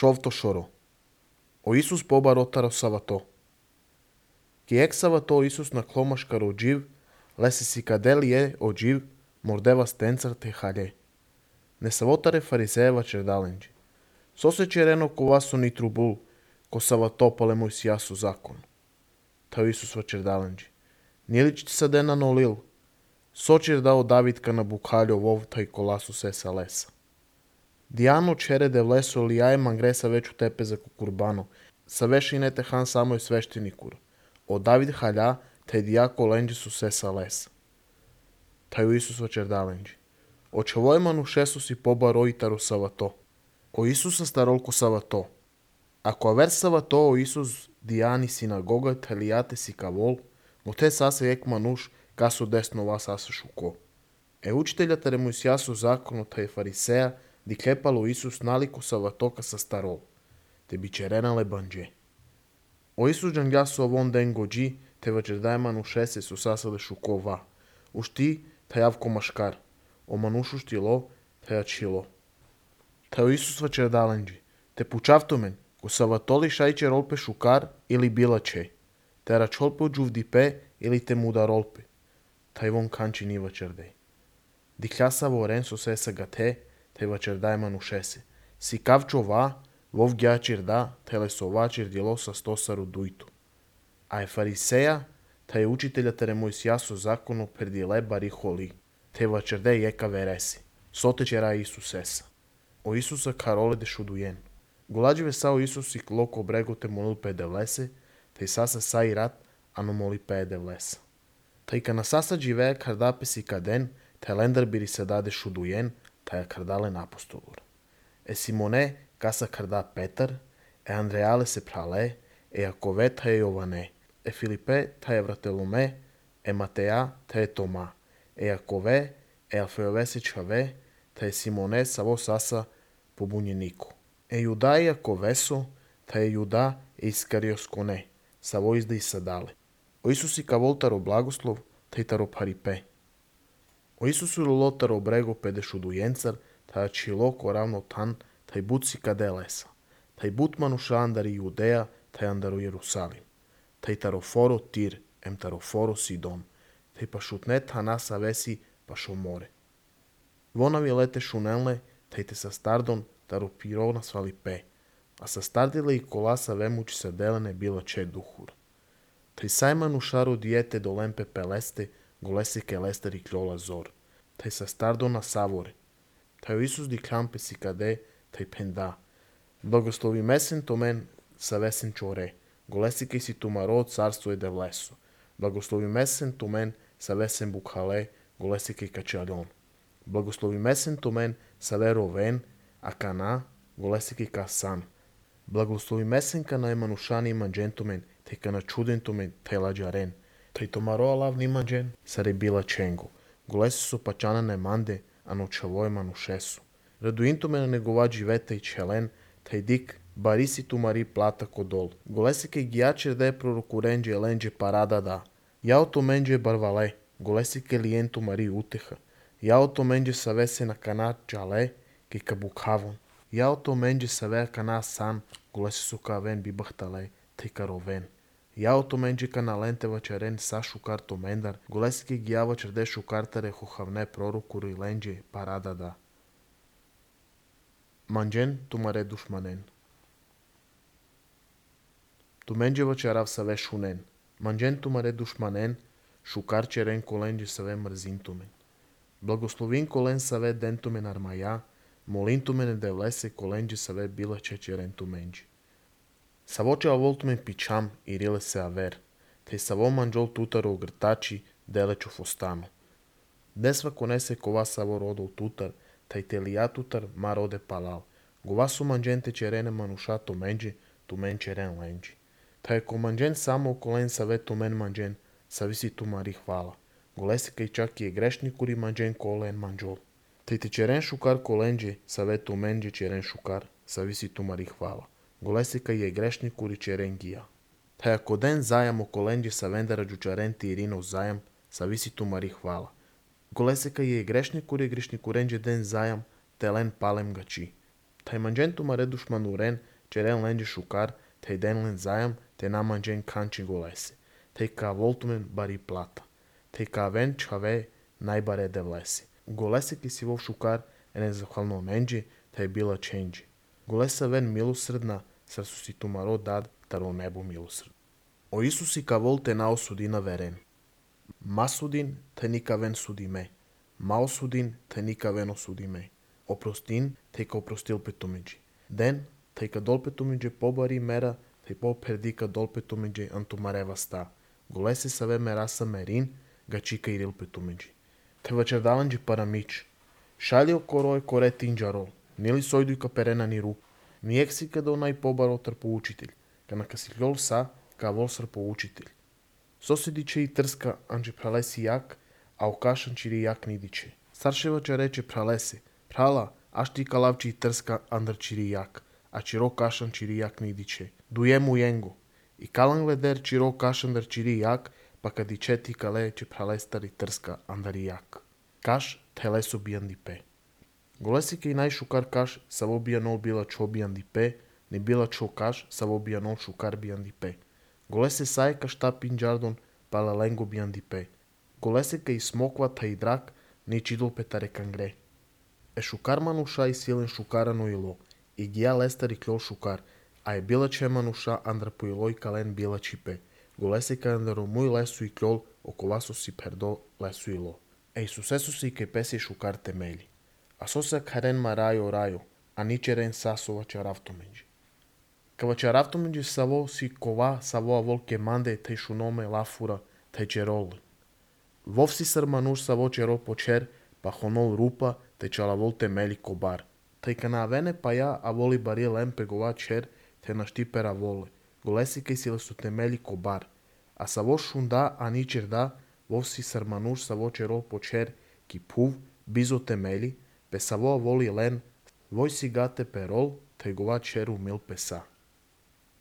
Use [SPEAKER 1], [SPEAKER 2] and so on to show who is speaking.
[SPEAKER 1] Човто шоро. O Isus pobarotaro savato. Ki ek savato Isus na klomashkar ođiv, lesi si kadeli je ođiv, mordeva stencar te halje. Ne savotare farizeva čerdalenđi. Sose čereno ko vaso ni trubul, ko savato pale moj sijasu zakon. Tao Isus va čerdalenđi. Nijelić ti sadena no lil. Sočer dao Davidka na bukhaljo vov taj kolasu sesa lesa. Diano čere de vleso lijaje mangresa veću tepe za kukurbano, sa vešinete han samoj sveštenikur. O David halja, te dijako lenđi su sesa lesa. Taju Isus va čerdalenđi. O čovojmanu šesu si poba rojitaru savato. O Isusa starolko savato. Ako aver savato o Isus dijani sinagoga telijate si kavol, mo te sase ek manuš kasu desno vas asa šuko. Učitelja tere mu isjasu zakonu taj fariseja di klepalo Isus naliko savatoka sa starol, te bi čerenale banđe. O Isus džangjasu avon den gođi, te vađerdaj manušese su sasale šuko va. Ušti tajavko maškar, o manušu štilo, tajačilo. Tajo Isus vađerdalenđi, te pučavtomen, ko savatoli šajče rolpe šukar ili bilače, te račolpe uđuvdipe ili te muda rolpe. Taj von kanči ni vađerdej. Dikljasavo oren su sesa gate, te vađerdaj manušese. Si kavčo va, vov gjačirda, tele sova čirdjelo sa stosaru dujtu. A je fariseja, ta je učitelja tere moj sjaso zakonu perdile bariholi, te vađerdej jeka veresi. Sote čera Isusesa. O Isusa karole de šudujen. Gulađive sao Isus i loko brego te molil pede vlese, te sasa sa i rat, ano moli pede vlesa. Ta i kana sasa džive kardape si kaden, te lendar biri se dade šudujen, ta je kardalen apostolur. E Simone kasa karda Petar, e Andreale se prale, e Jakove ta je Jovane, e Filipe ta je Vratelome, e Mateja ta je Toma, e Jakove, e Alfejove se čave, ta je Simone savo sasa pobunjeniku. E Juda i Jakoveso, ta je Juda e Iskarioskone, savo izda i sadale. O Isusi ka voltaro blagoslov, ta i taro paripe. O Isusu lotaro brego pede šudujencar, ta je čiloko ravno tan, taj buci kade lesa. Taj but manuša andari Judeja, taj andaru Jerusalim. Taj taroforo Tir, em taroforo Sidon. Taj pa šutnet hanasa vesi pa šomore. Vonavi lete šunelne, taj te sa stardon taro pirona svalipe. A sa stardile i kolasa vemuči sa delene bila če duhur. Taj sajmanu šaru dijete do lempe peleste, golesike lester i kljola zor. Taj sa stardona savore. Taj Isus di klampe si kade, taj penda. Blagoslovi mesen tomen sa vesen čore. Golesike si tumaro carstvo je de vleso. Blagoslovi mesen tomen sa vesen bukhale, golesike kačaljon. Blagoslovi mesen tomen sa vero ven, a kana, golesike kasan. Blagoslovi mesen kana emanušani imanđentomen, te kana čudentomen, te lađaren. Taj tomaro alavni imanđen, sa rebila čengo. Golesi su pačanane mande, a nočavo emanušesu. Raduintomena negovađi veta i čelen, taj dik barisi tu mari plata kodol. Golesike gijačer da je proroku renđe lenđe parada da. Jao to menđe barvale, golesike lijentu mari uteha. Jao to menđe sa vese na kanat džale, ki kabukhavon. Jao to menđe sa ve kana san, golesi su ka ven bibahtale, te karoven. Jao to menđe kana lente vačaren sa šukar to mendar, golesike gijavačer de šukartare hohavne prorokuru i lenđe parada da. Manđen tumare dušmanen. Tu menđeva čarav sa ve šunen. Manđen tumare dušmanen, šukar čeren kolenđe sa ve mrzintumen. Blagoslovin kolen sa ve dentumen armaja, molintumen de vlese kolenđe sa ve bila čečeren tumenđi. Savočeva voltumen pičam i rile se aver, te savo manđol tutaro ugrtači deleču fostano. Desva konese kova savo rodol tutar, taj telija tutar ma rode palal. Gova su manđente čerene manuša to menđe, tu men čeren lenđi. Taj ko manđen samo okolen sa ve to men manđen, sa visi tu mari hvala. Golesika i čak je grešnikuri manđen kolen manđol. Taj te čeren šukar kolenđe, sa ve to menđe čeren šukar, sa visi tu mari hvala. Golesika je grešnikuri čeren gija. Taj ako den zajam okolenđe sa vendara džučarenti i rinov zajam, sa visi tu mari hvala. Golesika je grešnikurenđe den zajam, te len palem gači. Taj manđentu mare dušmanu ren, черен ленджи шукар, те денлен зајам, те наманджен канчи голеси. Те ка волтумен бари плата. Те ка вен чаве најбаре де влеси. Голесе ки си вов шукар, е незахвално менджи, те била ченджи. Голеса вен милосрдна, срсу си тумаро дад, таро небо милосрд. О Исуси ка вол те наосудина верен. Масудин те ника вен судиме. Маосудин те ника вен осудиме. Опростин те ка опростил петумиджи. Ден те ка дол петумиджи побари мера, те по пердика дол петумиджи антумарева ста. Голесе саве мераса мерин, гачика ирил петумиджи. Те вечердаланджи парамич. Шалио корое коре тинджаро. Нели сојдуј ка перена ни рук. Нијек си када онај побаро трпо учитель. Кана ка си лјол са, ка волсар по учитель. Соседиче и трска анджи пралеси як, а окашан чири як нидиче. Старшевача рече пралеси, прала, аш ти калавчи и трска андр чири як, а чиро кашан чири як нидиче. Дуему јенго. И калан гледер чиро кашан дър чири як, па кадиче ти кале че пралестар и трска андр як. Каш телесо бијан дипе. Голеси ке и нај шукар каш, саво бијанол била чо бијан дипе, не била чо каш, саво бијанол шукар бијан дипе. Голесе сај ка шта пинджардон, пала ленго бијан дипе. Голесе ка и смоква та и драк, не чидол петаре кангре. Е шукар мануша и силен шукара но ило, и гија лестар и клјол шукар, а е била че мануша андра по ило и кален била чипе. Голесе ка андро муј лесу и клјол, околасо си пердо лесу ило. Е Исусесо си ке песи шукар темели. А соса карен ма рајо, а ничерен сасова чаравтоменджи. Кава чаравтоменджи саво си кова саво волке манде те шуноме лафура те черол. Вов си сърмануш саво черол почер, па хонол рупа те чалавол темели кобар. Тъй ка авене па ја аволи бари лемпе гова чер те наштипера воле. Голеси кај си лесу темели кобар. А саво шунда а ничер да, вов си сърмануш саво черол почер ки пув бизо темели, пе саво аволи лен, вој си гате перол, те гова черу мил песа.